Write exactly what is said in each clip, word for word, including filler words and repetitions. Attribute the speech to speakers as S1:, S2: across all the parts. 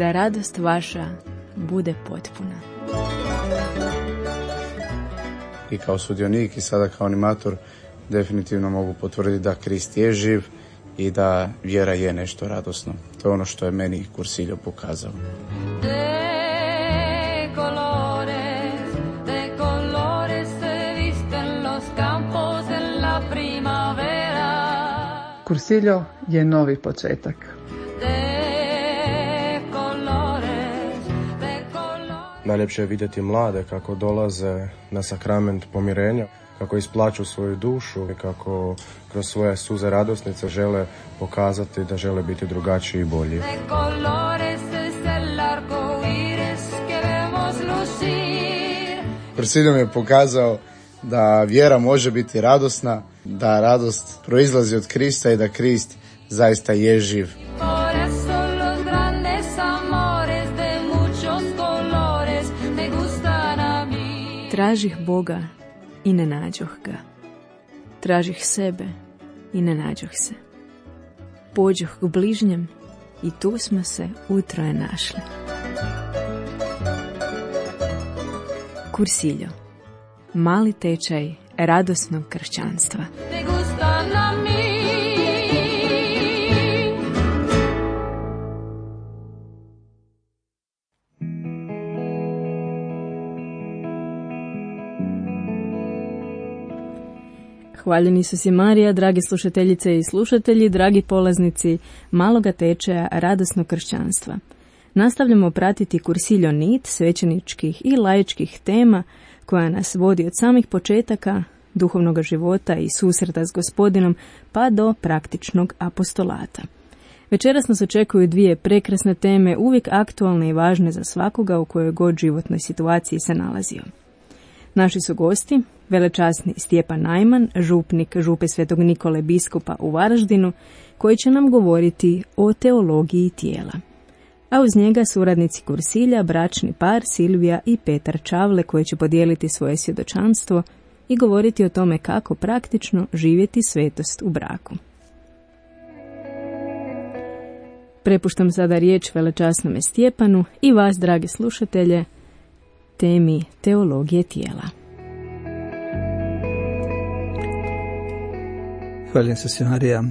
S1: da radost vaša bude potpuna.
S2: I kao sudionik i sada kao animator definitivno mogu potvrditi da Krist je živ i da vjera je nešto radosno. To je ono što je meni Cursillo pokazao.
S3: Cursillo je novi početak.
S4: Najljepše je vidjeti mlade kako dolaze na sakrament pomirenja, kako isplaću svoju dušu i kako kroz svoje suze radosnice žele pokazati da žele biti drugačiji i bolji.
S2: Cursillo mi je pokazao da vjera može biti radosna, da radost proizlazi od Krista i da Krist zaista je živ.
S1: Tražih Boga i ne nađoh ga. Tražih sebe i ne nađoh se. Pođoh k bližnjem i tu smo se utroje našli. Cursillo. Mali tečaj radosnog kršćanstva. Hvaljeni su si Marija, dragi slušateljice i slušatelji, dragi polaznici maloga tečaja radosnog kršćanstva. Nastavljamo pratiti Cursillo nit svećeničkih i laičkih tema koja nas vodi od samih početaka duhovnog života i susreta s Gospodinom pa do praktičnog apostolata. Večeras nas očekuju dvije prekrasne teme, uvijek aktualne i važne za svakoga u kojoj god životnoj situaciji se nalazio. Naši su gosti velečasni Stjepan Najman, župnik župe Svetog Nikole biskupa u Varaždinu, koji će nam govoriti o teologiji tijela. A uz njega suradnici Cursilja, bračni par Silvija i Petar Čavle, koji će podijeliti svoje svjedočanstvo i govoriti o tome kako praktično živjeti svetost u braku. Prepuštam sada riječ velečasnome Stjepanu i vas, dragi slušatelje, temi teologije tijela.
S5: Hvaljen se si Marija.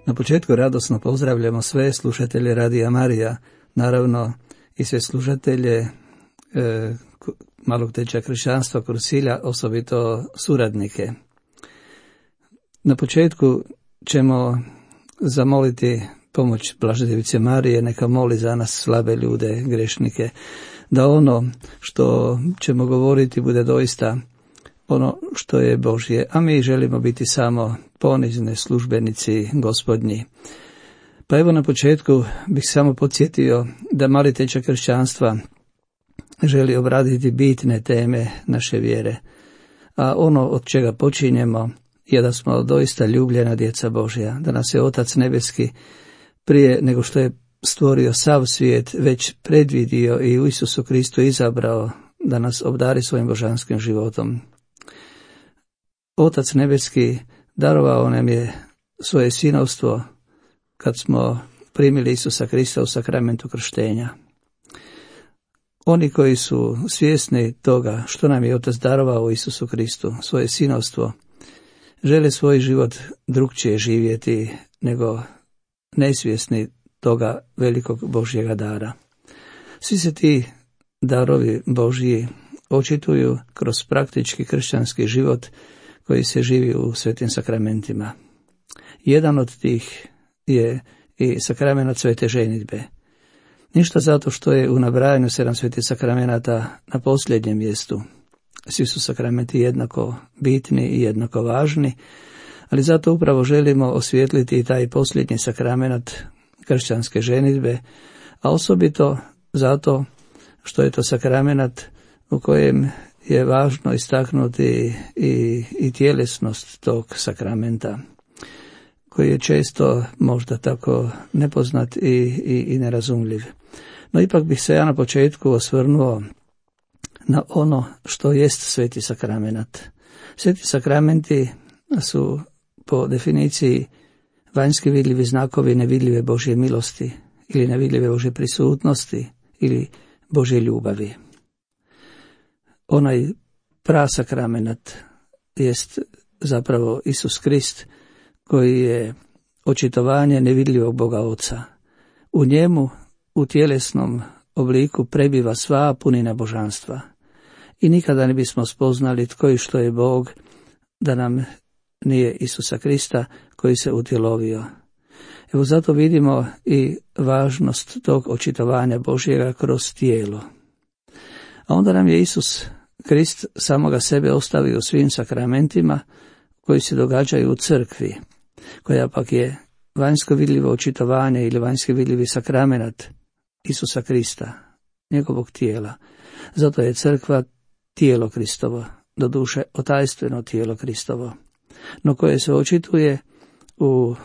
S5: Na početku radosno pozdravljamo sve slušatelje Radija Marija, naravno i sve slušatelje e, malog tečaja kršćanstva Cursilja, osobito suradnike. Na početku ćemo zamoliti pomoć Blažedevice Marije, neka moli za nas slabe ljude, grešnike, da ono što ćemo govoriti bude doista ono što je Božje, a mi želimo biti samo ponizne službenici Gospodnji. Pa evo na početku bih samo podsjetio da mali tečaj kršćanstva želi obraditi bitne teme naše vjere, a ono od čega počinjemo je da smo doista ljubljena djeca Božja, da nas je Otac Nebeski prije nego što je stvorio sav svijet već predvidio i u Isusu Kristu izabrao da nas obdari svojim božanskim životom. Otac Nebeski darovao nam je svoje sinovstvo kad smo primili Isusa Krista u sakramentu krštenja. Oni koji su svjesni toga što nam je Otac darovao u Isusu Kristu, svoje sinovstvo, žele svoj život drukčije živjeti nego nesvjesni toga velikog Božjega dara. Svi se ti darovi Božji očituju kroz praktički kršćanski život koji se živi u svetim sakramentima. Jedan od tih je i sakrament svete ženidbe. Ništa zato što je u nabrajanju sedam svetih sakramenata na posljednjem mjestu. Svi su sakramenti jednako bitni i jednako važni, ali zato upravo želimo osvijetliti i taj posljednji sakrament kršćanske ženidbe, a osobito zato što je to sakrament u kojem je važno istaknuti i, i tjelesnost tog sakramenta, koji je često možda tako nepoznat i, i, i nerazumljiv. No ipak bih se ja na početku osvrnuo na ono što jest sveti sakrament. Sveti sakramenti su po definiciji vanjski vidljivi znakovi nevidljive Božje milosti ili nevidljive Božje prisutnosti ili Božje ljubavi. Onaj prasakramenat jest zapravo Isus Krist, koji je očitovanje nevidljivog Boga Oca. U njemu, u tjelesnom obliku, prebiva sva punina božanstva. I nikada ne bismo spoznali tko i što je Bog, da nam nije Isusa Krista koji se utjelovio. Evo zato vidimo i važnost tog očitovanja Božjega kroz tijelo. A onda nam je Isus Krist samoga sebe ostavio u svim sakramentima koji se događaju u crkvi, koja pak je vanjsko vidljivo očitovanje ili vanjski vidljivi sakramenat Isusa Krista, njegovog tijela. Zato je crkva tijelo Kristovo, doduše otajstveno tijelo Kristovo, no koje se očituje u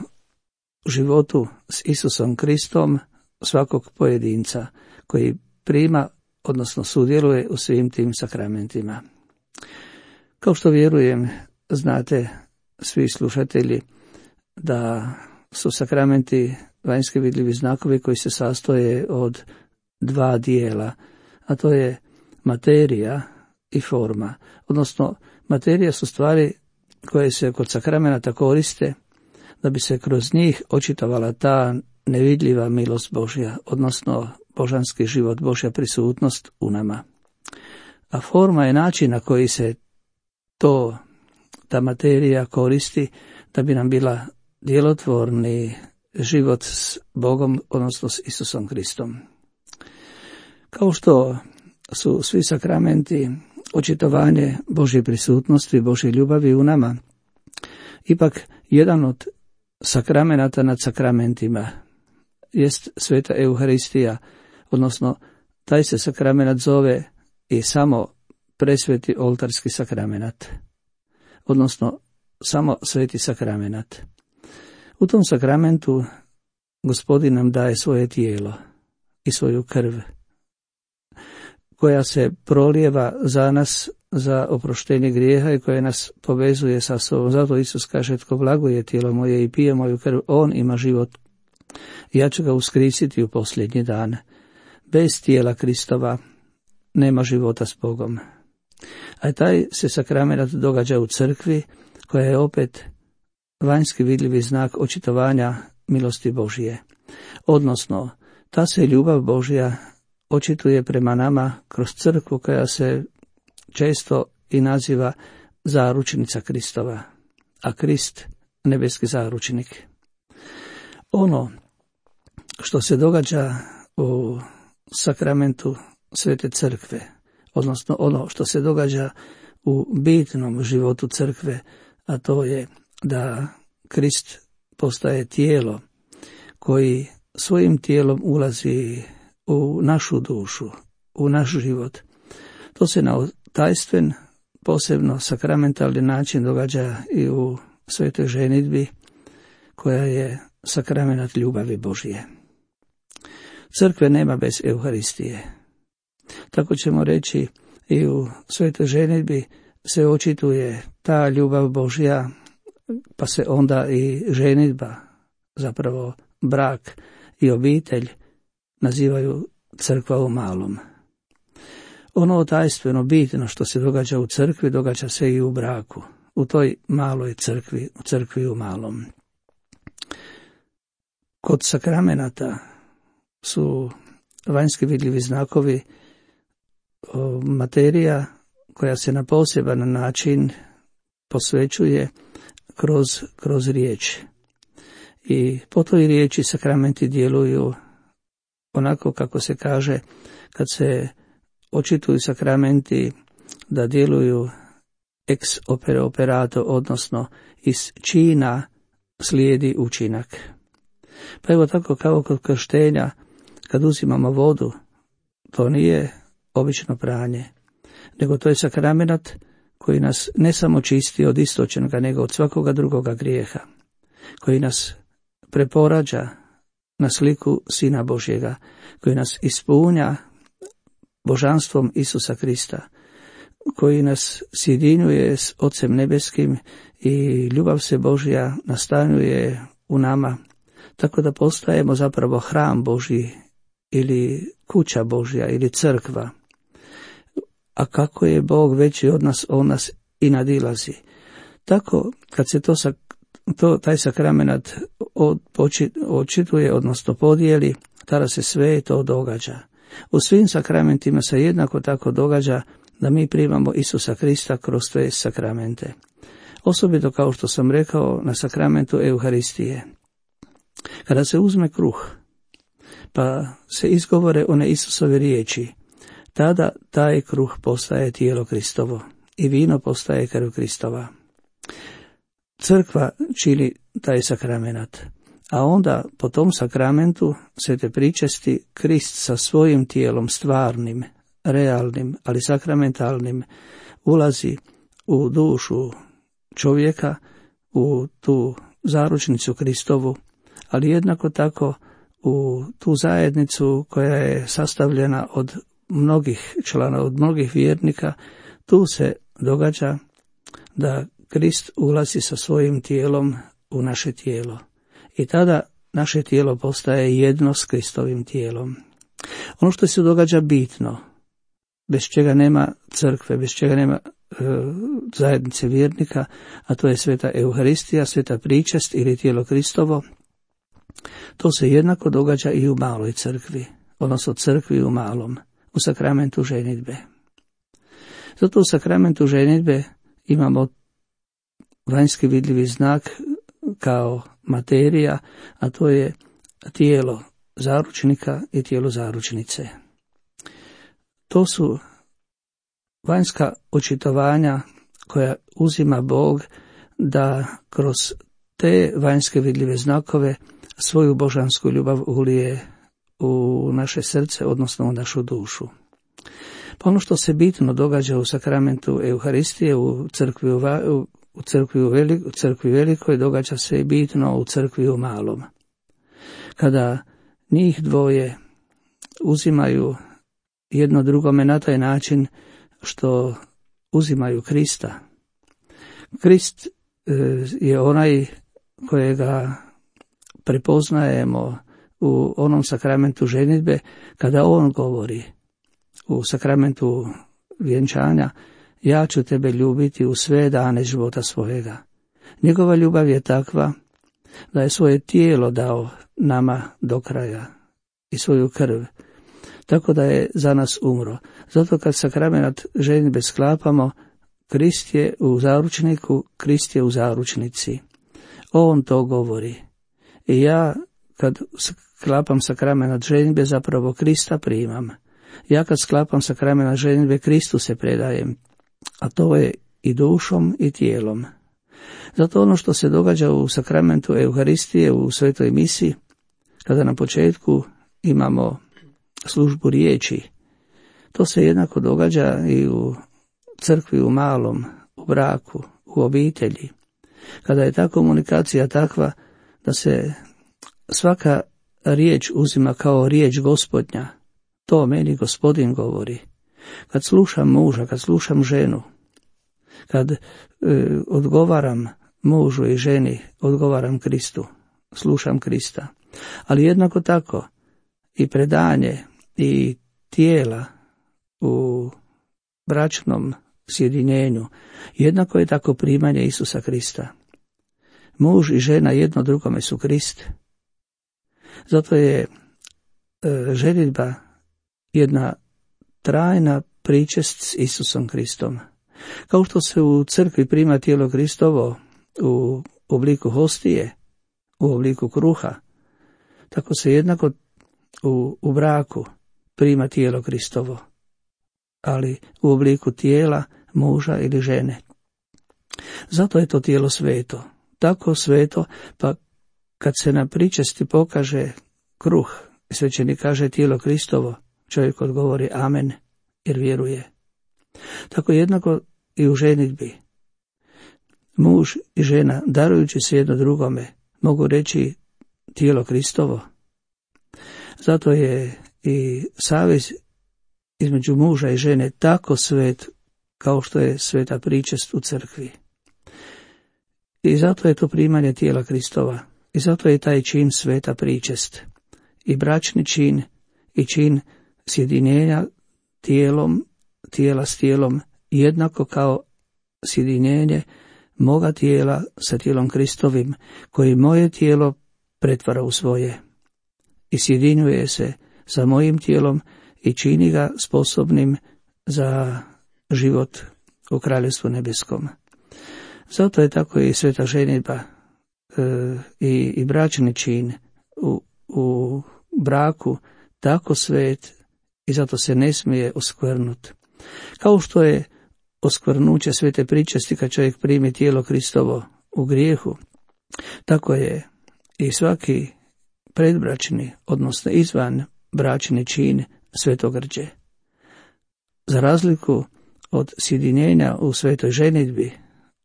S5: životu s Isusom Kristom svakog pojedinca koji prima, odnosno sudjeluje u svim tim sakramentima. Kao što vjerujem, znate svi slušatelji da su sakramenti vanjski vidljivi znakovi koji se sastoje od dva dijela, a to je materija i forma. Odnosno, materija su stvari koje se kod sakramenata koriste da bi se kroz njih očitovala ta nevidljiva milost Božja, odnosno božanski život, Božja prisutnost u nama. A forma je način na koji se to, ta materija koristi da bi nam bila djelotvorni život s Bogom, odnosno s Isusom Kristom. Kao što su svi sakramenti očitovanje Božje prisutnosti, Božje ljubavi u nama, ipak jedan od sakramenata nad sakramentima jest sveta Euharistija, odnosno taj se sakramenat zove i samo presveti oltarski sakramenat, odnosno samo sveti sakramenat. U tom sakramentu Gospodin nam daje svoje tijelo i svoju krv, koja se prolijeva za nas, za oproštenje grijeha i koja nas povezuje sa sobom. Zato Isus kaže, tko blaguje tijelo moje i pije moju krv, on ima život. Ja ću ga uskrisiti u posljednji dan. Bez tijela Kristova nema života s Bogom. A taj se sakramenat događa u crkvi, koja je opet vanjski vidljivi znak očitovanja milosti Božije. Odnosno, ta se ljubav Božja očituje prema nama kroz crkvu, koja se često i naziva zaručnica Kristova, a Krist nebeski zaručnik. Ono što se događa u sakramentu Svete Crkve, odnosno ono što se događa u bitnom životu crkve, a to je da Krist postaje tijelo koji svojim tijelom ulazi u našu dušu, u naš život. To se na tajstven, posebno sakramentalni način događa i u svetoj ženidbi, koja je sakramenat ljubavi Božje. Crkve nema bez Euharistije. Tako ćemo reći, i u svetoj ženidbi se očituje ta ljubav Božja, pa se onda i ženidba, zapravo brak i obitelj, nazivaju crkva u malom. Ono tajstveno bitno što se događa u crkvi, događa se i u braku, u toj maloj crkvi, u crkvi u malom. Kod sakramenata su vanjski vidljivi znakovi materija koja se na poseban način posvećuje kroz, kroz riječ. I po toj riječi sakramenti djeluju onako kako se kaže, kad se očituju sakramenti, da djeluju ex opere operato, odnosno iz čina slijedi učinak. Pa evo tako kao kod krštenja, kad uzimamo vodu, to nije obično pranje, nego to je sakramenat koji nas ne samo čisti od istočnoga, nego od svakoga drugoga grijeha, koji nas preporađa na sliku Sina Božjega, koji nas ispunja božanstvom Isusa Krista, koji nas sjedinjuje s Ocem nebeskim i ljubav se Božja nastanjuje u nama, tako da postajemo zapravo hram Božji ili kuća Božja ili crkva. A kako je Bog veći od nas, on nas i nadilazi. Tako kad se to, to taj sakramenat očituje, odnosno podijeli, tada se sve to događa. U svim sakramentima se jednako tako događa da mi primamo Isusa Krista kroz te sakramente. Osobito, kao što sam rekao, na sakramentu Euharistije. Kada se uzme kruh, pa se izgovore one Isusove riječi, tada taj kruh postaje tijelo Kristovo i vino postaje krv Kristova. Crkva čini taj sakramenat, a onda po tom sakramentu svete pričesti Krist sa svojim tijelom stvarnim, realnim, ali sakramentalnim ulazi u dušu čovjeka, u tu zaručnicu Kristovu, ali jednako tako u tu zajednicu koja je sastavljena od mnogih člana, od mnogih vjernika. Tu se događa da Krist ulazi sa svojim tijelom u naše tijelo. I tada naše tijelo postaje jedno s Kristovim tijelom. Ono što se događa bitno, bez čega nema crkve, bez čega nema e, zajednice vjernika, a to je sveta Euharistija, sveta pričest ili tijelo Kristovo, to se jednako događa i u maloj crkvi, odnosno crkvi u malom, u sakramentu ženidbe. Zato u sakramentu ženidbe imamo vanjski vidljivi znak kao materija, a to je tijelo zaručnika i tijelo zaručnice. To su vanjska očitovanja koja uzima Bog da kroz te vanjske vidljive znakove svoju božansku ljubav ulije u naše srce, odnosno u našu dušu. Pa ono što se bitno događa u sakramentu Euharistije, u crkvi u, u, crkvi u, velik, u crkvi velikoj, događa se i bitno u crkvi u malom. Kada njih dvoje uzimaju jedno drugome na taj način što uzimaju Krista. Krist je onaj kojega prepoznajemo u onom sakramentu ženidbe kada on govori u sakramentu vjenčanja: ja ću tebe ljubiti u sve dane života svojega. Njegova ljubav je takva da je svoje tijelo dao nama do kraja i svoju krv, tako da je za nas umro. Zato kad sakrament ženidbe sklapamo, Krist je u zaručniku, Krist je u zaručnici. On to govori. I ja kad sklapam sakrament ženidbe, zapravo Krista primam. Ja kad sklapam sakrament ženidbe, Kristu se predajem, a to je i dušom i tijelom. Zato ono što se događa u sakramentu Euharistije, u svetoj misi, kada na početku imamo službu riječi, to se jednako događa i u crkvi u malom, u braku, u obitelji. Kada je ta komunikacija takva da se svaka riječ uzima kao riječ Gospodnja, to meni Gospodin govori. Kad slušam muža, kad slušam ženu, kad e, odgovaram mužu i ženi, odgovaram Kristu, slušam Krista. Ali jednako tako i predanje i tijela u bračnom sjedinjenju, jednako je tako primanje Isusa Krista. Muž i žena jedno drugome su Krist. Zato je e, ženidba jedna trajna pričest s Isusom Kristom. Kao što se u crkvi prima tijelo Kristovo u obliku hostije, u obliku kruha, tako se jednako u, u braku prima tijelo Kristovo, ali u obliku tijela muža ili žene. Zato je to tijelo sveto, tako sveto, pa kad se na pričesti pokaže kruh, svećenik kaže tijelo Kristovo, čovjek odgovori amen, jer vjeruje. Tako jednako i u ženidbi. Muž i žena, darujući se jedno drugome, mogu reći tijelo Kristovo. Zato je i savez između muža i žene tako svet kao što je sveta pričest u crkvi. I zato je to primanje tijela Kristova, I zato je taj čin sveta pričest. I bračni čin, i čin sjedinjenja tijelom, tijela s tijelom, jednako kao sjedinjenje moga tijela sa tijelom Kristovim, koji moje tijelo pretvara u svoje. I sjedinjuje se sa mojim tijelom i čini ga sposobnim za život u Kraljevstvu nebeskom. Zato je tako i sveta ženidba e, i, i bračni čin u, u braku tako svet i zato se ne smije oskvrnuti. Kao što je oskvrnuće svete pričesti kad čovjek primi tijelo Kristovo u grijehu, tako je i svaki predbračni, odnosno izvan bračni čin svetogrđe. Za razliku od sjedinjenja u svetoj ženidbi,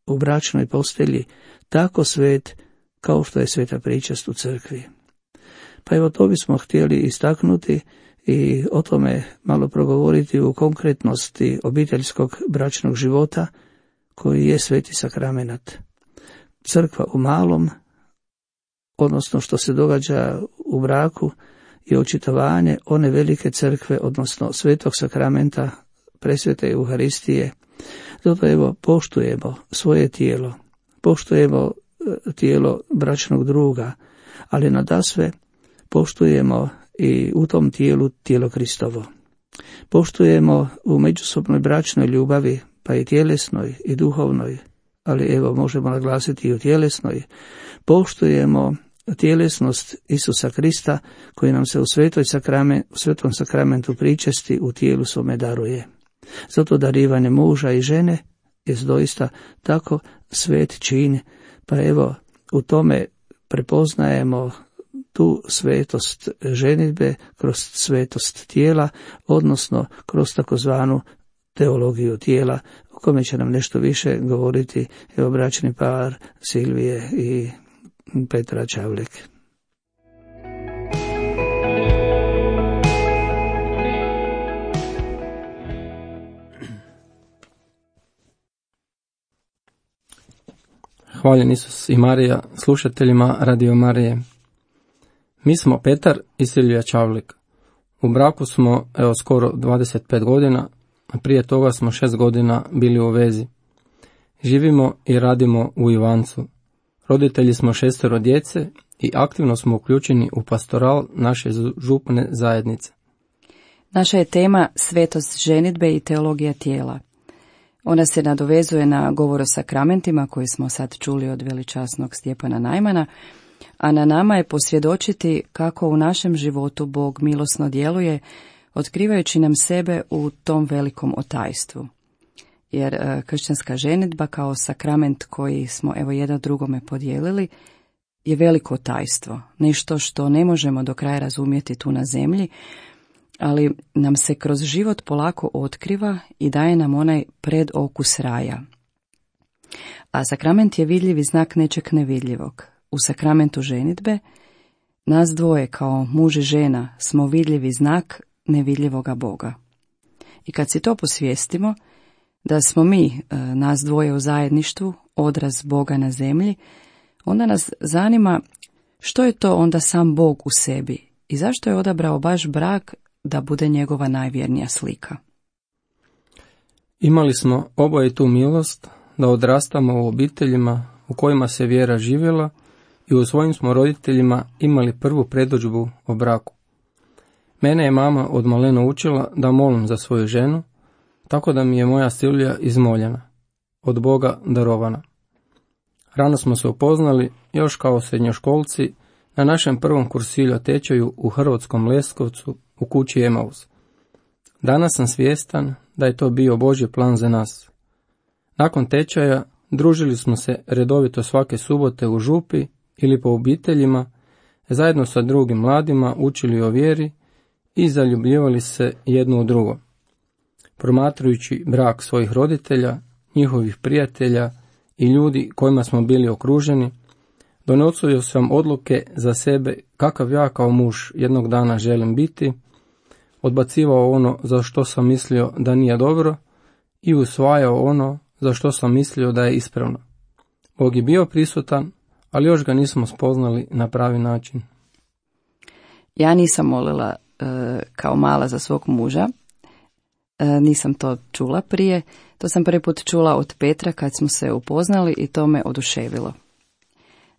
S5: u bračnoj postelji, tako svet kao što je sveta pričest u crkvi. Pa evo to bismo htjeli istaknuti i o tome malo progovoriti u konkretnosti obiteljskog bračnog života koji je sveti sakramenat. Crkva u malom, odnosno što se događa u braku, je očitovanje one velike crkve, odnosno svetog sakramenta, presvete Euharistije. Zato evo poštujemo svoje tijelo, poštujemo tijelo bračnog druga, ali nadasve poštujemo i u tom tijelu tijelo Kristovo. Poštujemo u međusobnoj bračnoj ljubavi, pa i tjelesnoj i duhovnoj, ali evo možemo naglasiti i u tjelesnoj. Poštujemo tjelesnost Isusa Krista koji nam se u, svetoj sakrament, u svetom sakramentu pričesti u tijelu svome daruje. Zato darivanje muža i žene je doista tako svet čin, pa evo u tome prepoznajemo tu svetost ženidbe kroz svetost tijela, odnosno kroz takozvanu teologiju tijela, o kome će nam nešto više govoriti evo bračni par Silvije i Petra Čavlik.
S6: Hvaljen Isus i Marija, slušateljima Radio Marije. Mi smo Petar i Silvija Čavlik. U braku smo evo skoro dvadeset pet godina, a prije toga smo šest godina bili u vezi. Živimo i radimo u Ivancu. Roditelji smo šestero djece i aktivno smo uključeni u pastoral naše župne zajednice.
S7: Naša je tema svetost ženidbe i teologija tijela. Ona se nadovezuje na govor o sakramentima koji smo sad čuli od veličasnog Stjepana Najmana, a na nama je posvjedočiti kako u našem životu Bog milosno djeluje, otkrivajući nam sebe u tom velikom otajstvu. Jer e, kršćanska ženidba kao sakrament koji smo evo jedan drugome podijelili je veliko otajstvo, nešto što ne možemo do kraja razumjeti tu na zemlji, ali nam se kroz život polako otkriva i daje nam onaj predokus raja. A sakrament je vidljivi znak nečeg nevidljivog. U sakramentu ženidbe nas dvoje kao muž i žena smo vidljivi znak nevidljivoga Boga. I kad si to posvijestimo, da smo mi, nas dvoje u zajedništvu, odraz Boga na zemlji, onda nas zanima što je to onda sam Bog u sebi i zašto je odabrao baš brak da bude njegova najvjernija slika.
S6: Imali smo oboje tu milost da odrastamo u obiteljima u kojima se vjera živjela i u svojim smo roditeljima imali prvu predodžbu o braku. Mene je mama od malena učila da molim za svoju ženu, tako da mi je moja Silvija izmoljena, od Boga darovana. Rano smo se upoznali, još kao srednjoškolci, na našem prvom kursilju tečaju u Hrvatskom Leskovcu u kući Emaus. Danas sam svjestan da je to bio Božji plan za nas. Nakon tečaja družili smo se redovito svake subote u župi ili po obiteljima, zajedno sa drugim mladima učili o vjeri i zaljubljivali se jedno u drugo. Promatrajući brak svojih roditelja, njihovih prijatelja i ljudi kojima smo bili okruženi, donosio sam odluke za sebe kakav ja kao muž jednog dana želim biti, odbacivao ono za što sam mislio da nije dobro i usvajao ono za što sam mislio da je ispravno. Bog je bio prisutan, ali još ga nismo spoznali na pravi način.
S7: Ja nisam molila e, kao mala za svog muža, e, nisam to čula prije, to sam prvi put čula od Petra kad smo se upoznali i to me oduševilo.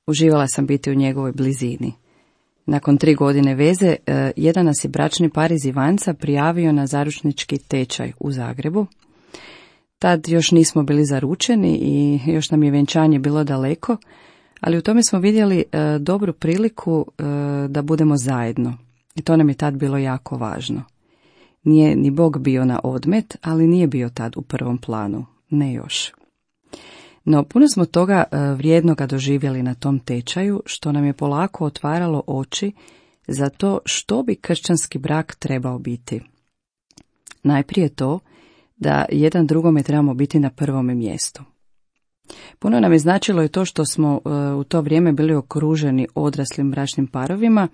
S7: Uživala sam biti u njegovoj blizini. Nakon tri godine veze, e, jedan nas je bračni par iz Ivanca prijavio na zaručnički tečaj u Zagrebu. Tad još nismo bili zaručeni i još nam je vjenčanje bilo daleko, ali u tome smo vidjeli e, dobru priliku e, da budemo zajedno. I to nam je tad bilo jako važno. Nije ni Bog bio na odmet, ali nije bio tad u prvom planu, ne još. No, puno smo toga e, vrijednoga doživjeli na tom tečaju, što nam je polako otvaralo oči za to što bi kršćanski brak trebao biti. Najprije to da jedan drugome trebamo biti na prvome mjestu. Puno nam je značilo i to što smo e, u to vrijeme bili okruženi odraslim bračnim parovima,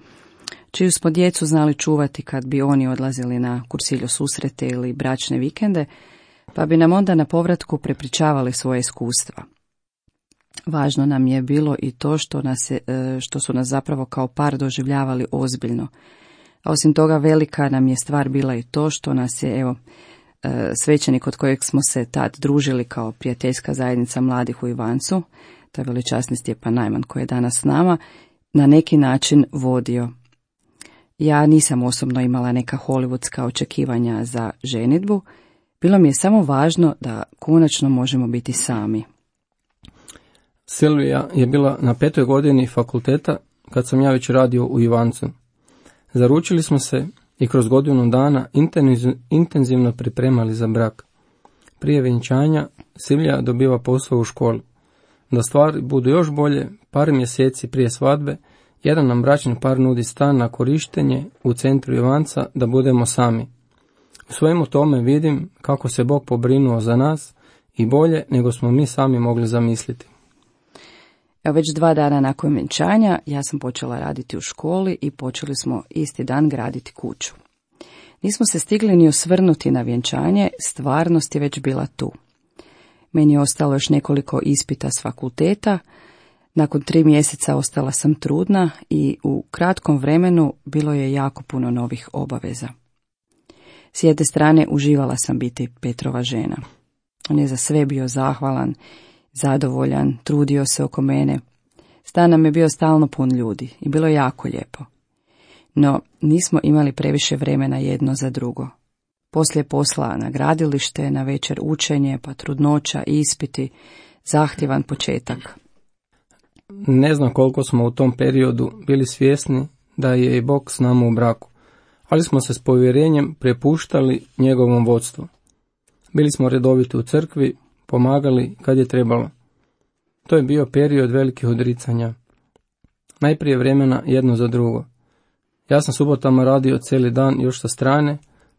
S7: čiju smo djecu znali čuvati kad bi oni odlazili na kursiljo susrete ili bračne vikende, pa bi nam onda na povratku prepričavali svoje iskustva. Važno nam je bilo i to što, nas je, što su nas zapravo kao par doživljavali ozbiljno. A osim toga velika nam je stvar bila i to što nas je, evo, svećenik od kojeg smo se tad družili kao prijateljska zajednica mladih u Ivancu, to je veličasni Stjepan Najman koji je danas s nama, na neki način vodio. Ja nisam osobno imala neka hollywoodska očekivanja za ženidbu, bilo mi je samo važno da konačno možemo biti sami.
S6: Silvija je bila na petoj godini fakulteta kad sam ja već radio u Ivancu. Zaručili smo se i kroz godinu dana intenzivno pripremali za brak. Prije vjenčanja Silvija dobiva posao u školi. Da stvari budu još bolje, par mjeseci prije svadbe, jedan nam bračni par nudi stan na korištenje u centru Ivanca da budemo sami. U svemu tome vidim kako se Bog pobrinuo za nas i bolje nego smo mi sami mogli zamisliti.
S7: Evo, već dva dana nakon vjenčanja ja sam počela raditi u školi i počeli smo isti dan graditi kuću. Nismo se stigli ni osvrnuti na vjenčanje, stvarnost je već bila tu. Meni je ostalo još nekoliko ispita s fakulteta, nakon tri mjeseca ostala sam trudna i u kratkom vremenu bilo je jako puno novih obaveza. S jedne strane uživala sam biti Petrova žena. On je za sve bio zahvalan, zadovoljan, trudio se oko mene. Stan nam je bio stalno pun ljudi i bilo jako lijepo. No, nismo imali previše vremena jedno za drugo. Poslije posla na gradilište, na večer učenje, pa trudnoća, ispiti, zahtjevan početak.
S6: Ne znam koliko smo u tom periodu bili svjesni da je i Bog s nama u braku, ali smo se s povjerenjem prepuštali njegovom vodstvu. Bili smo redoviti u crkvi, pomagali kad je trebalo. To je bio period velikih odricanja. Najprije vremena jedno za drugo. Ja sam subotama radio cijeli dan još sa strane,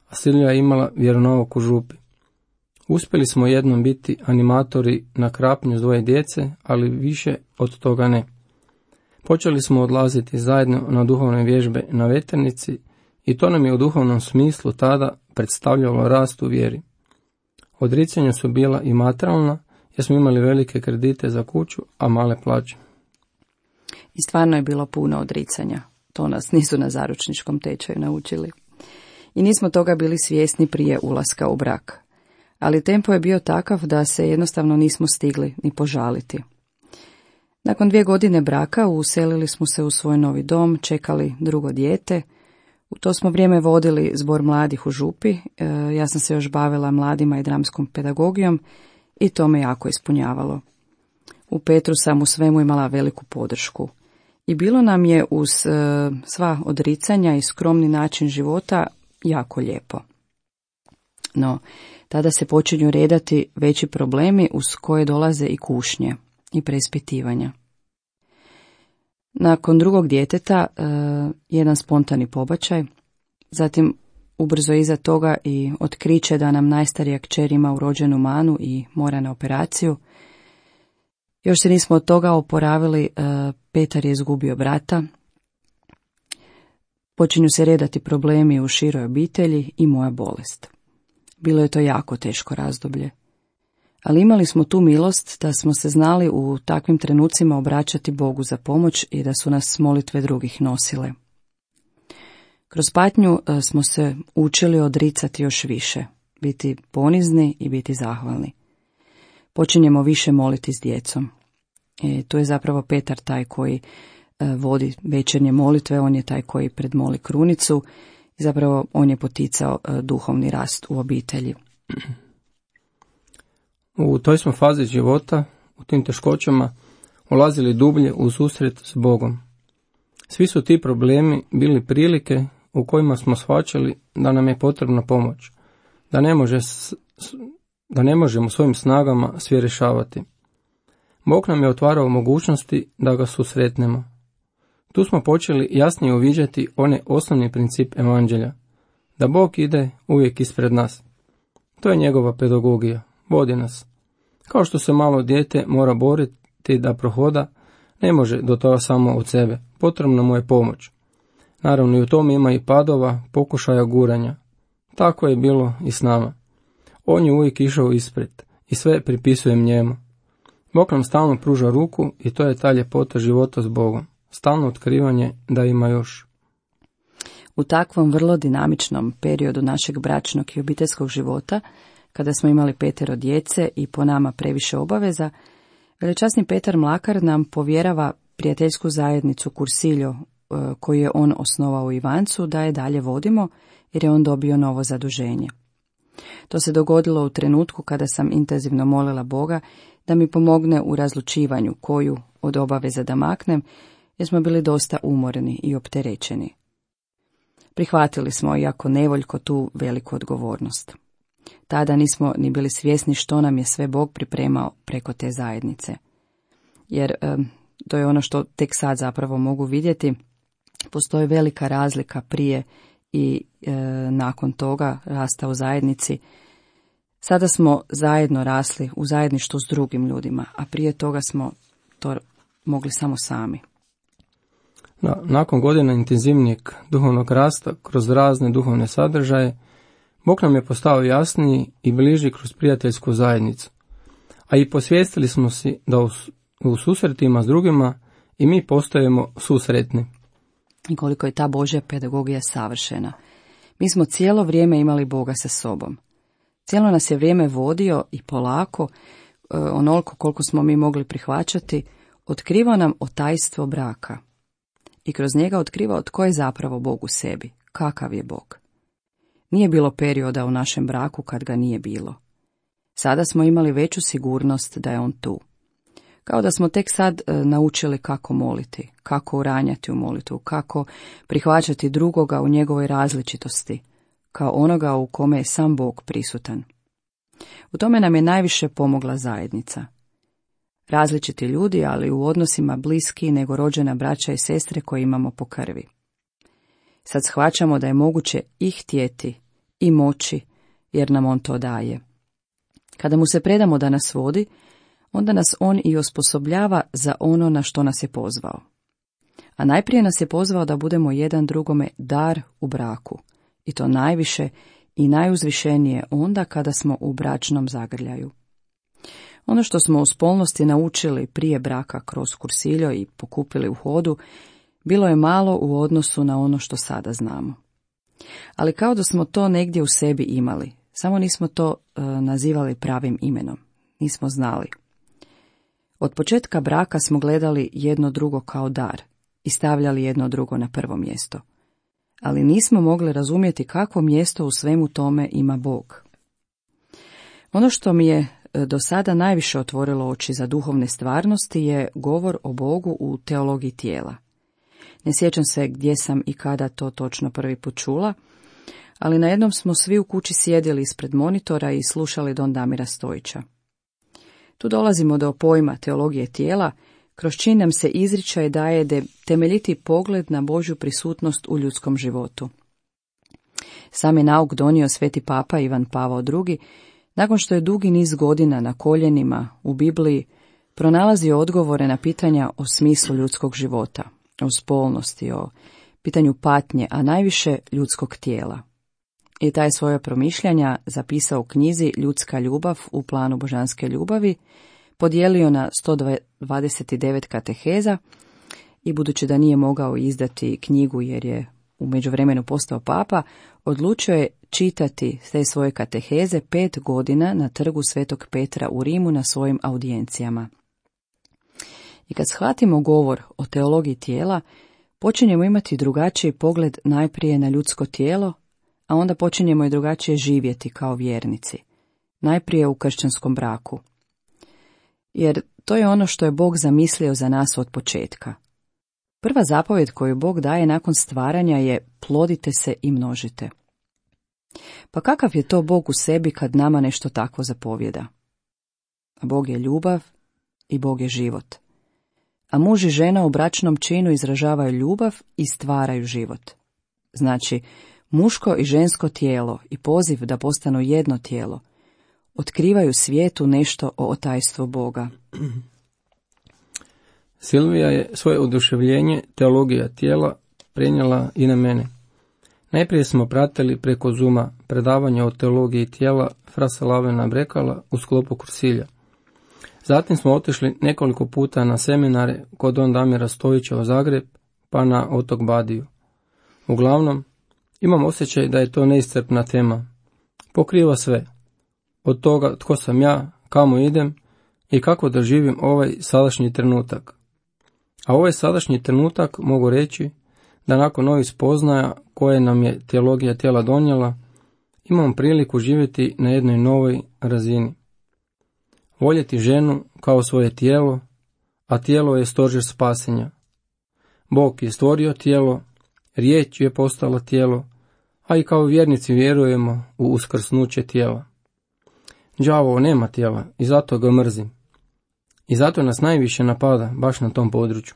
S6: a Silvija je imala vjeronauk u župi. Uspjeli smo jednom biti animatori na krapnju s dvoje djece, ali više od toga ne. Počeli smo odlaziti zajedno na duhovne vježbe na Veternici i to nam je u duhovnom smislu tada predstavljalo rast u vjeri. Odricanja su bila i materijalna, jer smo imali velike kredite za kuću, a male plaće.
S7: I stvarno je bilo puno odricanja. To nas nisu na zaručničkom tečaju naučili. I nismo toga bili svjesni prije ulaska u brak. Ali tempo je bio takav da se jednostavno nismo stigli ni požaliti. Nakon dvije godine braka uselili smo se u svoj novi dom, čekali drugo dijete. U to smo vrijeme vodili zbor mladih u župi. E, ja sam se još bavila mladima i dramskom pedagogijom i to me jako ispunjavalo. U Petru sam u svemu imala veliku podršku. I bilo nam je uz e, sva odricanja i skromni način života jako lijepo. No, tada se počinju redati veći problemi uz koje dolaze i kušnje i preispitivanja. Nakon drugog djeteta e, jedan spontani pobačaj, zatim ubrzo iza toga i otkriće da nam najstarija kćer ima urođenu manu i mora na operaciju. Još se nismo od toga oporavili, e, Petar je izgubio brata. Počinju se redati problemi u široj obitelji i moja bolest. Bilo je to jako teško razdoblje. Ali imali smo tu milost da smo se znali u takvim trenucima obraćati Bogu za pomoć i da su nas molitve drugih nosile. Kroz patnju smo se učili odricati još više, biti ponizni i biti zahvalni. Počinjemo više moliti s djecom. I tu je zapravo Petar taj koji vodi večernje molitve, on je taj koji predmoli krunicu i zapravo on je poticao duhovni rast u obitelji.
S6: U toj smo fazi života, u tim teškoćama, ulazili dublje u susret s Bogom. Svi su ti problemi bili prilike u kojima smo shvaćali da nam je potrebna pomoć, da ne, može, da ne možemo svojim snagama sve rješavati. Bog nam je otvarao mogućnosti da ga susretnemo. Tu smo počeli jasnije uviđati onaj osnovni princip evanđelja, da Bog ide uvijek ispred nas. To je njegova pedagogija, vodi nas. Kao što se malo dijete mora boriti da prohoda, ne može do toga samo od sebe, potrebna mu je pomoć. Naravno i u tom ima i padova, pokušaja guranja. Tako je bilo i s nama. On je uvijek išao ispred i sve pripisujem njemu. Bog nam stalno pruža ruku i to je ta ljepota života s Bogom. Stalno otkrivanje da ima još.
S7: U takvom vrlo dinamičnom periodu našeg bračnog i obiteljskog života, kada smo imali petero djece i po nama previše obaveza, velečasni Petar Mlakar nam povjerava prijateljsku zajednicu Kursiljo, koju je on osnovao u Ivancu, da je dalje vodimo, jer je on dobio novo zaduženje. To se dogodilo u trenutku kada sam intenzivno molila Boga da mi pomogne u razlučivanju koju od obaveza da maknem, jer smo bili dosta umorni i opterećeni. Prihvatili smo, iako nevoljko, tu veliku odgovornost. Tada nismo ni bili svjesni što nam je sve Bog pripremao preko te zajednice. Jer e, to je ono što tek sad zapravo mogu vidjeti. Postoji velika razlika prije i e, nakon toga rasta u zajednici. Sada smo zajedno rasli u zajedništvu s drugim ljudima, a prije toga smo to mogli samo sami.
S6: Na, nakon godina intenzivnijeg duhovnog rasta kroz razne duhovne sadržaje, Bog nam je postao jasniji i bliži kroz prijateljsku zajednicu. A i posvijestili smo si da u, u susretima s drugima i mi postajemo susretni.
S7: I koliko je ta Božja pedagogija savršena. Mi smo cijelo vrijeme imali Boga sa sobom. Cijelo nas je vrijeme vodio i polako, onoliko koliko smo mi mogli prihvaćati, otkrivao nam o tajstvo braka. I kroz njega otkrivao tko je zapravo Bog u sebi, kakav je Bog. Nije bilo perioda u našem braku kad ga nije bilo. Sada smo imali veću sigurnost da je on tu. Kao da smo tek sad e, naučili kako moliti, kako uranjati u molitvu, kako prihvaćati drugoga u njegovoj različitosti, kao onoga u kome je sam Bog prisutan. U tome nam je najviše pomogla zajednica. Različiti ljudi, ali u odnosima bliski nego rođena braća i sestre koje imamo po krvi. Sad shvaćamo da je moguće i htjeti i moći, jer nam on to daje. Kada mu se predamo da nas vodi, onda nas on i osposobljava za ono na što nas je pozvao. A najprije nas je pozvao da budemo jedan drugome dar u braku, i to najviše i najuzvišenije onda kada smo u bračnom zagrljaju. Ono što smo u spolnosti naučili prije braka kroz Kursiljo i pokupili u hodu, bilo je malo u odnosu na ono što sada znamo. Ali kao da smo to negdje u sebi imali, samo nismo to e, nazivali pravim imenom, nismo znali. Od početka braka smo gledali jedno drugo kao dar i stavljali jedno drugo na prvo mjesto. Ali nismo mogli razumjeti kakvo mjesto u svemu tome ima Bog. Ono što mi je do sada najviše otvorilo oči za duhovne stvarnosti je govor o Bogu u teologiji tijela. Ne sjećam se gdje sam i kada to točno prvi put čula, ali na jednom smo svi u kući sjedili ispred monitora i slušali don Damira Stojića. Tu dolazimo do pojma teologije tijela, kroz čiji nam se izričaj daje de temeljiti pogled na Božju prisutnost u ljudskom životu. Sam je nauk donio sveti papa Ivan Pavao drugi, nakon što je dugi niz godina na koljenima u Bibliji pronalazio odgovore na pitanja o smislu ljudskog života, o spolnosti, o pitanju patnje, a najviše ljudskog tijela. i taj svoje promišljanja zapisao u knjizi Ljudska ljubav u planu božanske ljubavi, podijelio na sto dvadeset devet kateheza i budući da nije mogao izdati knjigu jer je u međuvremenu postao papa, odlučio je čitati te svoje kateheze pet godina na trgu Svetog Petra u Rimu na svojim audijencijama. I kad shvatimo govor o teologiji tijela, počinjemo imati drugačiji pogled najprije na ljudsko tijelo, a onda počinjemo i drugačije živjeti kao vjernici, najprije u kršćanskom braku. Jer to je ono što je Bog zamislio za nas od početka. Prva zapovjed koju Bog daje nakon stvaranja je plodite se i množite. Pa kakav je to Bog u sebi kad nama nešto takvo zapovjeda? Bog je ljubav i Bog je život. A muž i žena u bračnom činu izražavaju ljubav i stvaraju život. Znači, muško i žensko tijelo i poziv da postanu jedno tijelo otkrivaju svijetu nešto o otajstvu Boga.
S6: Silvija je svoje oduševljenje teologija tijela prenijela i na mene. Najprije smo pratili preko Zuma predavanje o teologiji tijela Frasa Lavena Brekala u sklopu kursilja. Zatim smo otišli nekoliko puta na seminare kod don Damira Stojića u Zagreb, pa na otok Badiju. Uglavnom, imam osjećaj da je to neiscrpna tema. Pokriva sve. Od toga tko sam ja, kamo idem i kako da živim ovaj sadašnji trenutak. A ovaj sadašnji trenutak mogu reći da nakon novih spoznaja koje nam je teologija tijela donijela, imam priliku živjeti na jednoj novoj razini. Voljeti ženu kao svoje tijelo, a tijelo je stožer spasenja. Bog je stvorio tijelo, riječ je postala tijelo, a i kao vjernici vjerujemo u uskrsnuće tijela. Đavo nema tijela i zato ga mrzim. I zato nas najviše napada baš na tom području.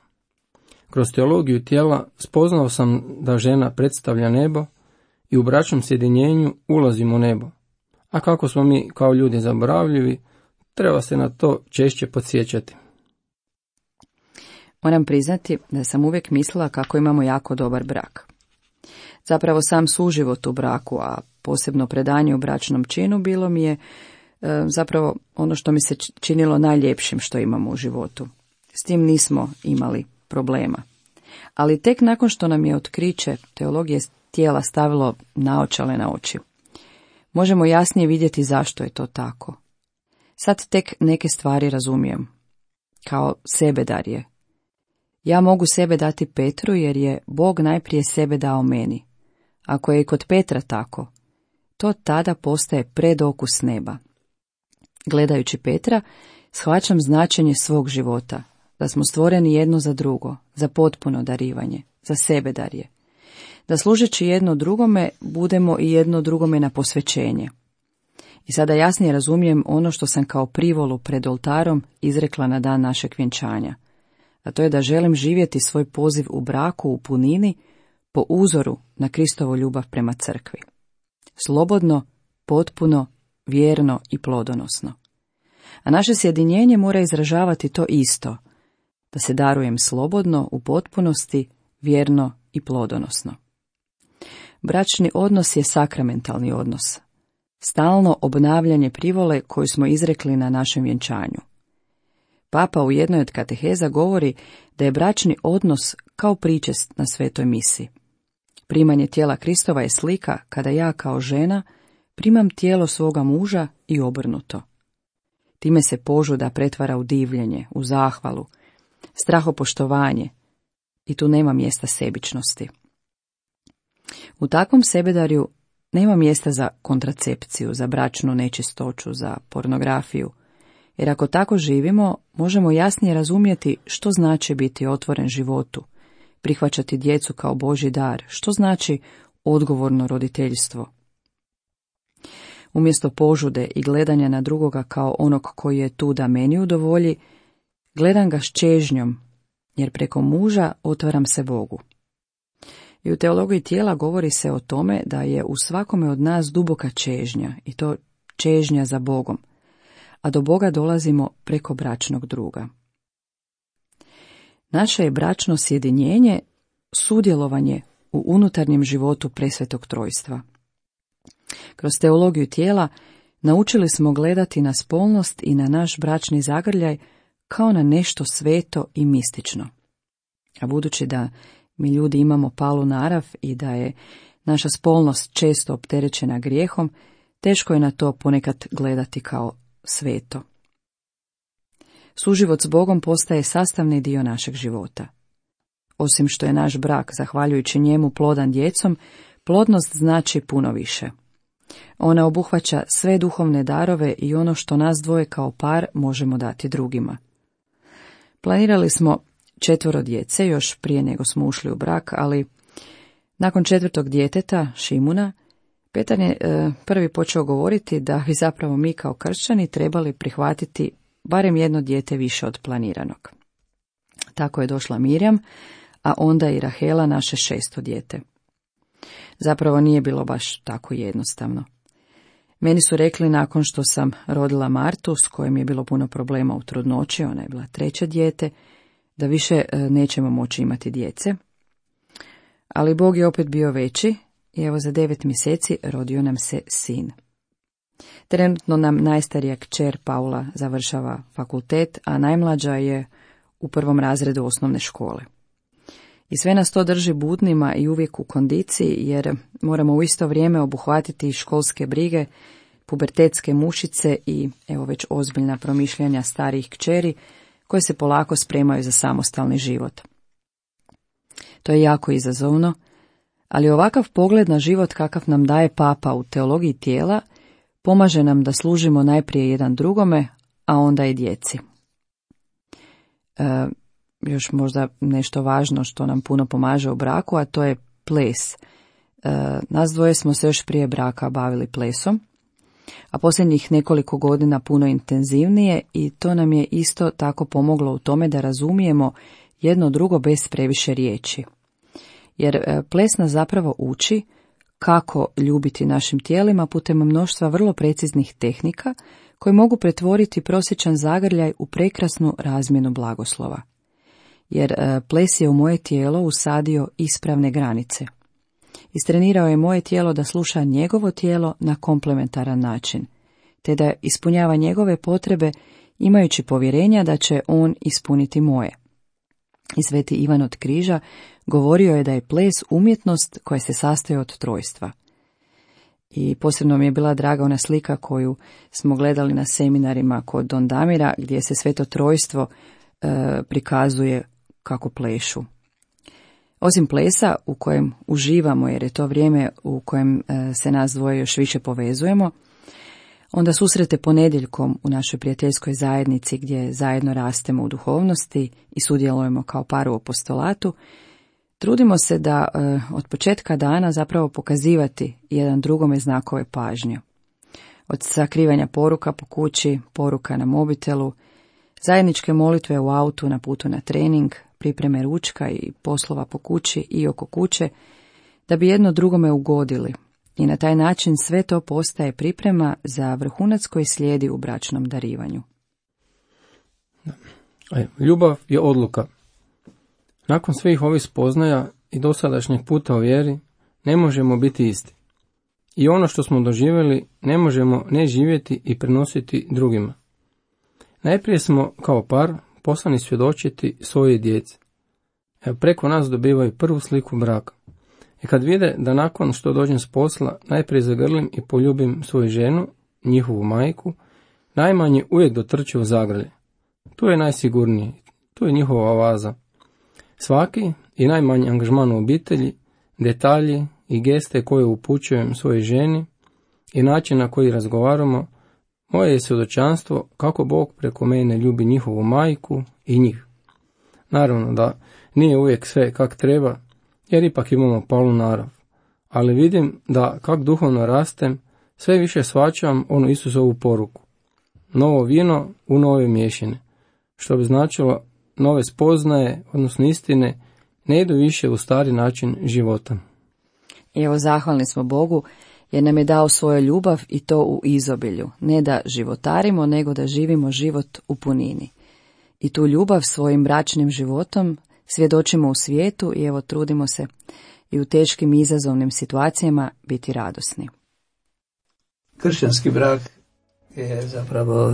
S6: Kroz teologiju tijela spoznao sam da žena predstavlja nebo i u bračnom sjedinjenju ulazimo u nebo. A kako smo mi kao ljudi zaboravljivi, treba se na to češće podsjećati.
S7: Moram priznati da sam uvijek mislila kako imamo jako dobar brak. Zapravo sam suživot u braku, a posebno predanje u bračnom činu bilo mi je e, zapravo ono što mi se činilo najljepšim što imamo u životu. S tim nismo imali problema. Ali tek nakon što nam je otkriće teologije tijela stavilo naočale na oči, možemo jasnije vidjeti zašto je to tako. Sad tek neke stvari razumijem. Kao sebedarje. Ja mogu sebe dati Petru jer je Bog najprije sebe dao meni. Ako je i kod Petra tako, to tada postaje predokus neba. Gledajući Petra, shvaćam značenje svog života, da smo stvoreni jedno za drugo, za potpuno darivanje, za sebedarje. Da služeći jedno drugome, budemo i jedno drugome na posvećenje. I sada jasnije razumijem ono što sam kao privolu pred oltarom izrekla na dan našeg vjenčanja. A to je da želim živjeti svoj poziv u braku u punini po uzoru na Kristovu ljubav prema crkvi. Slobodno, potpuno, vjerno i plodonosno. A naše sjedinjenje mora izražavati to isto, da se darujem slobodno, u potpunosti, vjerno i plodonosno. Bračni odnos je sakramentalni odnos. Stalno obnavljanje privole koju smo izrekli na našem vjenčanju. Papa u jednoj od kateheza govori da je bračni odnos kao pričest na svetoj misi. Primanje tijela Kristova je slika kada ja kao žena primam tijelo svoga muža i obrnuto. Time se požuda pretvara u divljenje, u zahvalu, strahopoštovanje i tu nema mjesta sebičnosti. U takvom sebedarju nema mjesta za kontracepciju, za bračnu nečistoću, za pornografiju, jer ako tako živimo, možemo jasnije razumjeti što znači biti otvoren životu, prihvaćati djecu kao Božji dar, što znači odgovorno roditeljstvo. Umjesto požude i gledanja na drugoga kao onog koji je tu da meni udovolji, gledam ga s čežnjom, jer preko muža otvaram se Bogu. I u teologiji tijela govori se o tome da je u svakome od nas duboka čežnja, i to čežnja za Bogom, a do Boga dolazimo preko bračnog druga. Naše je bračno sjedinjenje sudjelovanje u unutarnjem životu presvetog trojstva. Kroz teologiju tijela naučili smo gledati na spolnost i na naš bračni zagrljaj kao na nešto sveto i mistično. A budući da mi ljudi imamo palu narav i da je naša spolnost često opterećena grijehom, teško je na to ponekad gledati kao sveto. Suživot s Bogom postaje sastavni dio našeg života. Osim što je naš brak, zahvaljujući njemu, plodan djecom, plodnost znači puno više. Ona obuhvaća sve duhovne darove i ono što nas dvoje kao par možemo dati drugima. Planirali smo četvoro djece još prije nego smo ušli u brak, ali nakon četvrtog djeteta, Šimuna, Petar je e, prvi počeo govoriti da bi zapravo mi kao kršćani trebali prihvatiti barem jedno dijete više od planiranog. Tako je došla Mirjam, a onda i Rahela, naše šesto dijete. Zapravo nije bilo baš tako jednostavno. Meni su rekli nakon što sam rodila Martu, s kojim je bilo puno problema u trudnoći, ona je bila treće dijete, da više nećemo moći imati djece. Ali Bog je opet bio veći i evo za devet mjeseci rodio nam se sin. Trenutno nam najstarija kćer Paula završava fakultet, a najmlađa je u prvom razredu osnovne škole. I sve nas to drži budnima i uvijek u kondiciji, jer moramo u isto vrijeme obuhvatiti školske brige, pubertetske mušice i evo već ozbiljna promišljanja starijih kćeri koje se polako spremaju za samostalni život. To je jako izazovno, ali ovakav pogled na život kakav nam daje Papa u teologiji tijela pomaže nam da služimo najprije jedan drugome, a onda i djeci. E, još možda nešto važno što nam puno pomaže u braku, a to je ples. E, nas dvoje smo se još prije braka bavili plesom, a posljednjih nekoliko godina puno intenzivnije, i to nam je isto tako pomoglo u tome da razumijemo jedno drugo bez previše riječi. Jer ples nas zapravo uči kako ljubiti našim tijelima putem mnoštva vrlo preciznih tehnika koje mogu pretvoriti prosječan zagrljaj u prekrasnu razmjenu blagoslova. Jer ples je u moje tijelo usadio ispravne granice. Istrenirao je moje tijelo da sluša njegovo tijelo na komplementaran način, te da ispunjava njegove potrebe imajući povjerenja da će on ispuniti moje. I sveti Ivan od Križa govorio je da je ples umjetnost koja se sastoji od trojstva. I posebno mi je bila draga ona slika koju smo gledali na seminarima kod Don Damira, gdje se sveto trojstvo e, prikazuje kako plešu. Osim plesa u kojem uživamo, jer je to vrijeme u kojem e, se nas dvoje još više povezujemo, onda susrete ponedjeljkom u našoj prijateljskoj zajednici gdje zajedno rastemo u duhovnosti i sudjelujemo kao par u apostolatu, trudimo se da e, od početka dana zapravo pokazivati jedan drugome znakove pažnje. Od sakrivanja poruka po kući, poruka na mobitelu, zajedničke molitve u autu na putu na trening, pripreme ručka i poslova po kući i oko kuće, da bi jedno drugome ugodili. I na taj način sve to postaje priprema za vrhunac koji slijedi u bračnom darivanju.
S6: Ljubav je odluka. Nakon svih ovih spoznaja i dosadašnjeg puta o vjeri, ne možemo biti isti. I ono što smo doživjeli ne možemo ne živjeti i prenositi drugima. Najprije smo kao par poslani svjedočiti svoje djeci. Evo, preko nas dobivaju prvu sliku braka. I kad vide da nakon što dođem s posla najprije zagrlim i poljubim svoju ženu, njihovu majku, najmanje uvijek dotrče u zagrlje. Tu je najsigurniji, tu je njihova oaza. Svaki i najmanji angažman u obitelji, detalji i geste koje upućujem svojoj ženi i način na koji razgovaramo, moje je svjedočanstvo kako Bog preko mene ljubi njihovu majku i njih. Naravno da nije uvijek sve kak treba, jer ipak imamo palu narav, ali vidim da kak duhovno rastem, sve više shvaćam onu Isusovu poruku. Novo vino u nove mješine, što bi značilo nove spoznaje, odnosno istine, ne idu više u stari način života.
S7: I evo, zahvalni smo Bogu jer nam je dao svoju ljubav i to u izobilju, ne da životarimo, nego da živimo život u punini. I tu ljubav svojim bračnim životom svjedočimo u svijetu i evo trudimo se i u teškim i izazovnim situacijama biti radosni.
S5: Kršćanski brak je zapravo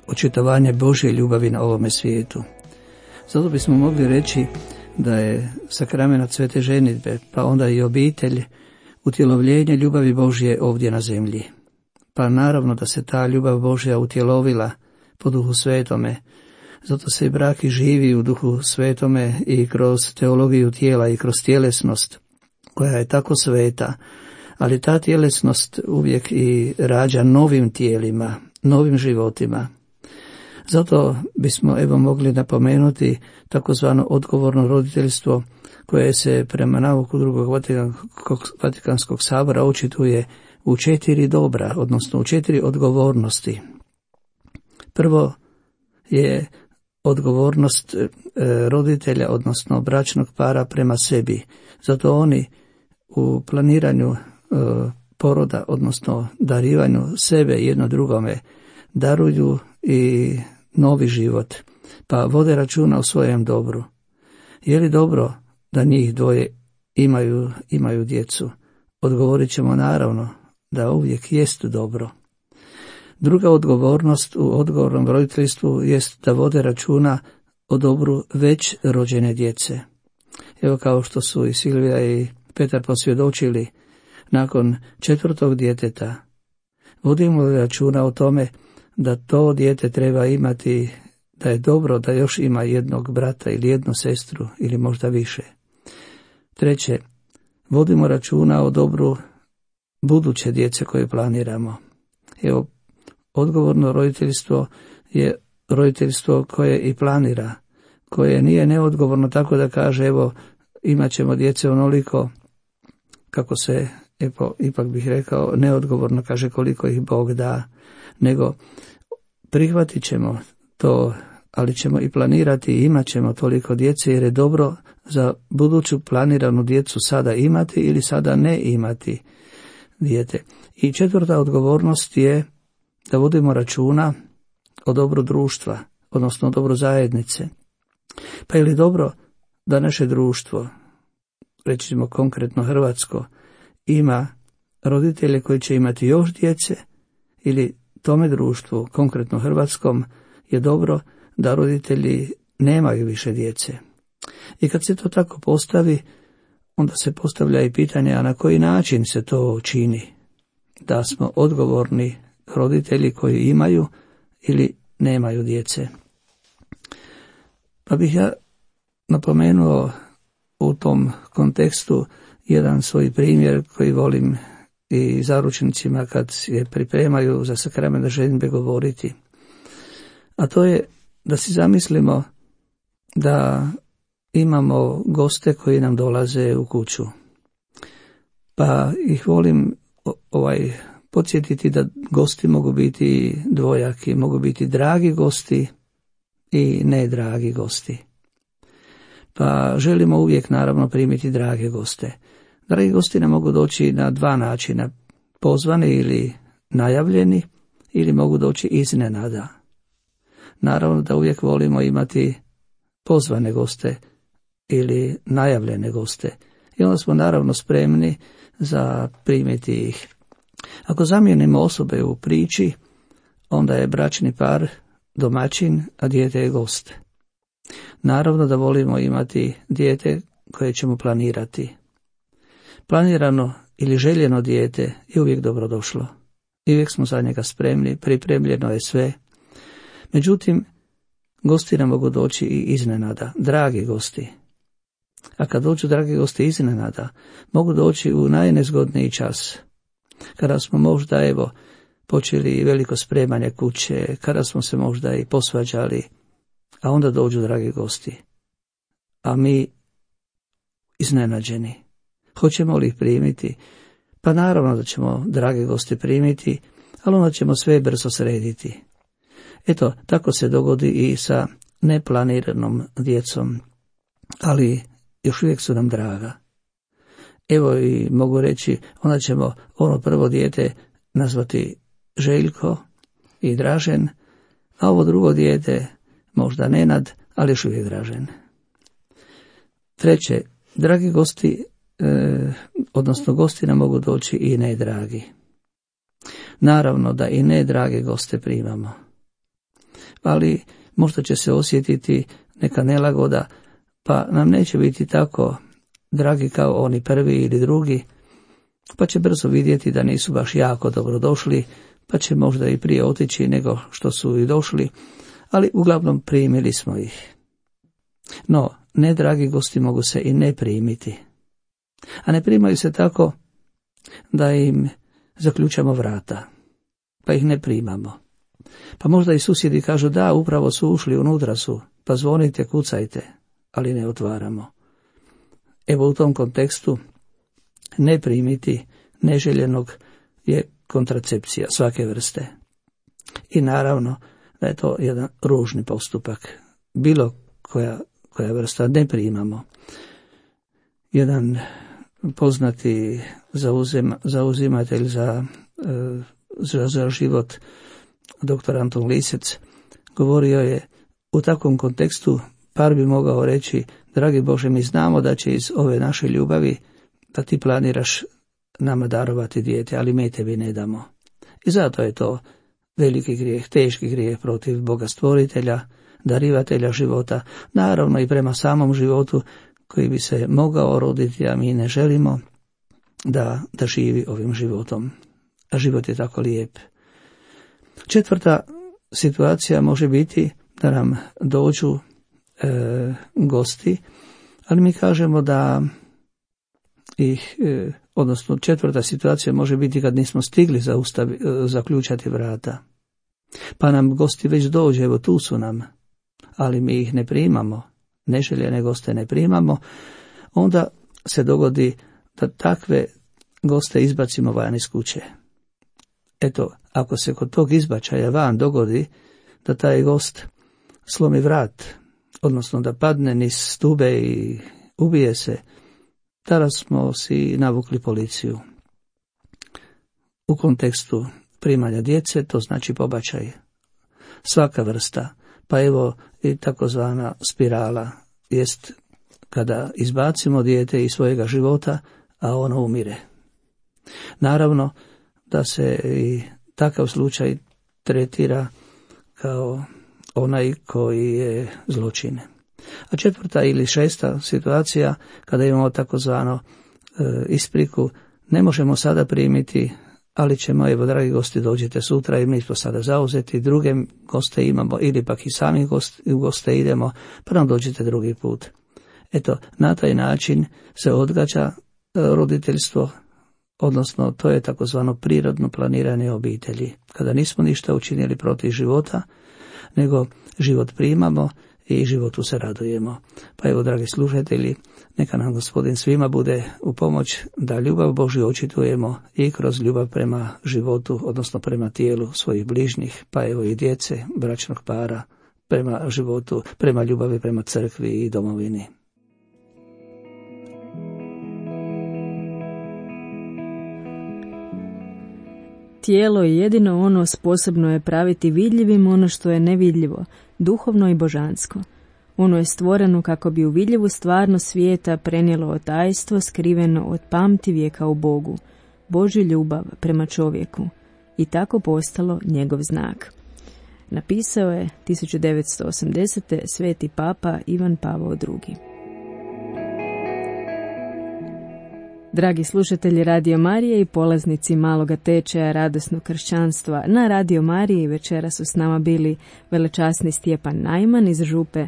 S5: očitovanje Božje ljubavi na ovome svijetu. Zato bismo mogli reći da je sakrament svete ženidbe, pa onda i obitelj, utjelovljenje ljubavi Božje ovdje na zemlji. Pa naravno da se ta ljubav Božja utjelovila po Duhu Svetome, zato se i brak i živi u Duhu Svetome i kroz teologiju tijela i kroz tjelesnost, koja je tako sveta, ali ta tjelesnost uvijek i rađa novim tijelima, novim životima. Zato bismo evo mogli napomenuti takozvano odgovorno roditeljstvo, koje se prema nauku drugog Vatikanskog, Vatikanskog sabora očituje u četiri dobra, odnosno u četiri odgovornosti. Prvo je odgovornost e, roditelja, odnosno bračnog para prema sebi. Zato oni u planiranju e, poroda, odnosno darivanju sebe jedno drugome, daruju i novi život, pa vode računa o svojem dobru. Je li dobro da njih dvoje imaju, imaju djecu? Odgovorit ćemo naravno da uvijek jest dobro. Druga odgovornost u odgovornom roditeljstvu jest da vode računa o dobru već rođene djece. Evo kao što su i Silvija i Petar posvjedočili, nakon četvrtog djeteta vodimo računa o tome da to dijete treba imati, da je dobro da još ima jednog brata ili jednu sestru ili možda više. Treće, vodimo računa o dobru buduće djece koje planiramo. Evo, odgovorno roditeljstvo je roditeljstvo koje i planira, koje nije neodgovorno tako da kaže evo imat ćemo djece onoliko, kako se, evo, ipak bih rekao, neodgovorno kaže koliko ih Bog da, nego prihvatit ćemo to, ali ćemo i planirati i imat ćemo toliko djece jer je dobro za buduću planiranu djecu sada imati ili sada ne imati dijete. I četvrta odgovornost je da vodimo računa o dobru društva, odnosno o dobru zajednice. Pa je li dobro da naše društvo, recimo konkretno hrvatsko, ima roditelje koji će imati još djece, ili tome društvu, konkretno hrvatskom, je dobro da roditelji nemaju više djece. I kad se to tako postavi, onda se postavlja i pitanje, a na koji način se to čini? Da smo odgovorni roditelji koji imaju ili nemaju djece. Pa bih ja napomenuo u tom kontekstu jedan svoj primjer koji volim i zaručnicima kad je pripremaju za sakrament ženidbe govoriti. A to je da si zamislimo da imamo goste koji nam dolaze u kuću. Pa ih volim ovaj podsjetiti da gosti mogu biti dvojaki, mogu biti dragi gosti i nedragi gosti. Pa želimo uvijek naravno primiti drage goste. Dragi gosti nam mogu doći na dva načina, pozvani ili najavljeni, ili mogu doći iznenada. Naravno da uvijek volimo imati pozvane goste ili najavljene goste. I onda smo naravno spremni za primiti ih. Ako zamijenimo osobe u priči, onda je bračni par domaćin, a dijete je gost. Naravno da volimo imati dijete koje ćemo planirati. Planirano ili željeno dijete je uvijek dobrodošlo. I uvijek smo za njega spremni, pripremljeno je sve. Međutim, gosti nam mogu doći i iznenada, dragi gosti. A kad dođu dragi gosti iznenada, mogu doći u najnezgodniji čas. Kada smo možda, evo, počeli veliko spremanje kuće, kada smo se možda i posvađali, a onda dođu dragi gosti. A mi iznenađeni. Hoćemo li ih primiti? Pa naravno da ćemo drage goste primiti, ali onda ćemo sve brzo srediti. Eto, tako se dogodi i sa neplaniranom djecom, ali još uvijek su nam draga. Evo i mogu reći, onda ćemo ono prvo dijete nazvati Željko i Dražen, a ovo drugo dijete možda Nenad, ali još uvijek Dražen. Treće, dragi gosti, e, odnosno gosti nam mogu doći i nedragi. Naravno da i ne drage goste primamo. Ali možda će se osjetiti neka nelagoda, pa nam neće biti tako dragi kao oni prvi ili drugi, pa će brzo vidjeti da nisu baš jako dobro došli, pa će možda i prije otići nego što su i došli, ali uglavnom primili smo ih. No, ne dragi gosti mogu se i ne primiti. A ne primaju se tako da im zaključamo vrata, pa ih ne primamo. Pa možda i susjedi kažu da, upravo su ušli, unutra su, pa zvonite, kucajte, ali ne otvaramo. Evo u tom kontekstu ne primiti neželjenog je kontracepcija svake vrste. I naravno da je to jedan ružni postupak. Bilo koja, koja vrsta ne primamo. Jedan poznati zauzima, zauzimatelj za, za, za život, doktor Anton Lisec, govorio je u takvom kontekstu, par bi mogao reći, dragi Bože, mi znamo da će iz ove naše ljubavi, da ti planiraš nama darovati dijete, ali mi tebi ne damo. I zato je to veliki grijeh, teški grijeh protiv Boga stvoritelja, darivatelja života, naravno i prema samom životu koji bi se mogao roditi, a mi ne želimo da, da živi ovim životom. A život je tako lijep. Četvrta situacija može biti da nam dođu e, gosti, ali mi kažemo da ih, e, odnosno četvrta situacija može biti kad nismo stigli zaustavi, e, zaključati vrata. Pa nam gosti već dođe, evo tu su nam, ali mi ih ne primamo, neželjene goste ne primamo, onda se dogodi da takve goste izbacimo van iz kuće. Eto, ako se kod tog izbačaja van dogodi da taj gost slomi vrat, odnosno da padne niz stube i ubije se, tada smo si navukli policiju. U kontekstu primanja djece to znači pobačaj. Svaka vrsta, pa evo i takozvana spirala, jest kada izbacimo dijete iz svojega života, a ono umire. Naravno da se i takav slučaj tretira kao onaj koji je zločin. A četvrta ili šesta situacija, kada imamo takozvano e, ispriku, ne možemo sada primiti, ali ćemo, evo dragi gosti, dođite sutra i mi smo sada zauzeti, druge goste imamo ili pak i sami goste, goste idemo, pa nam dođite drugi put. Eto, na taj način se odgađa e, roditeljstvo, odnosno to je takozvano prirodno planiranje obitelji, kada nismo ništa učinili protiv života, nego život primamo i životu se radujemo. Pa evo, dragi slušatelji, neka nam Gospodin svima bude u pomoć da ljubav Božju očitujemo i kroz ljubav prema životu, odnosno prema tijelu svojih bližnjih, pa evo i djece, bračnog para, prema životu, prema ljubavi prema crkvi i domovini.
S1: Tijelo je jedino ono sposobno je praviti vidljivim ono što je nevidljivo, duhovno i božansko. Ono je stvoreno kako bi u vidljivu stvarnost svijeta prenijelo otajstvo skriveno od pamtivijeka u Bogu, Božju ljubav prema čovjeku, i tako postalo njegov znak. Napisao je tisuću devetsto osamdesete. sveti papa Ivan Pavao drugi. Dragi slušatelji Radio Marije i polaznici maloga tečaja radosnog kršćanstva, na Radio Mariji večera su s nama bili velečasni Stjepan Najman iz župe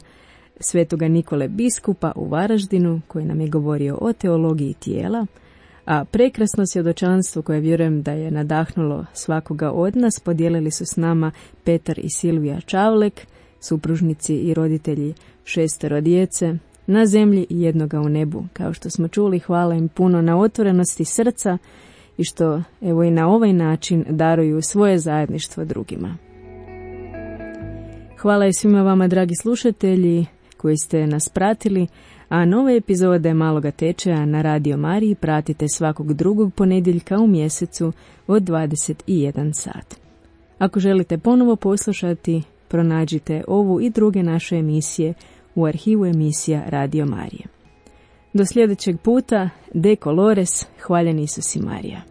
S1: Svetoga Nikole biskupa u Varaždinu, koji nam je govorio o teologiji tijela, a prekrasno svjedočanstvo koje vjerujem da je nadahnulo svakoga od nas podijelili su s nama Petar i Silvija Čavlek, supružnici i roditelji šestero djece, na zemlji i jednoga u nebu. Kao što smo čuli, hvala im puno na otvorenosti srca i što evo i na ovaj način daruju svoje zajedništvo drugima. Hvala i svima vama, dragi slušatelji, koji ste nas pratili, a nove epizode Maloga tečaja na Radio Mariji pratite svakog drugog ponedjeljka u mjesecu od dvadeset jedan sat. Ako želite ponovo poslušati, pronađite ovu i druge naše emisije u arhivu emisija Radio Marije. Do sljedećeg puta, De Colores, hvaljen Isus i Marija.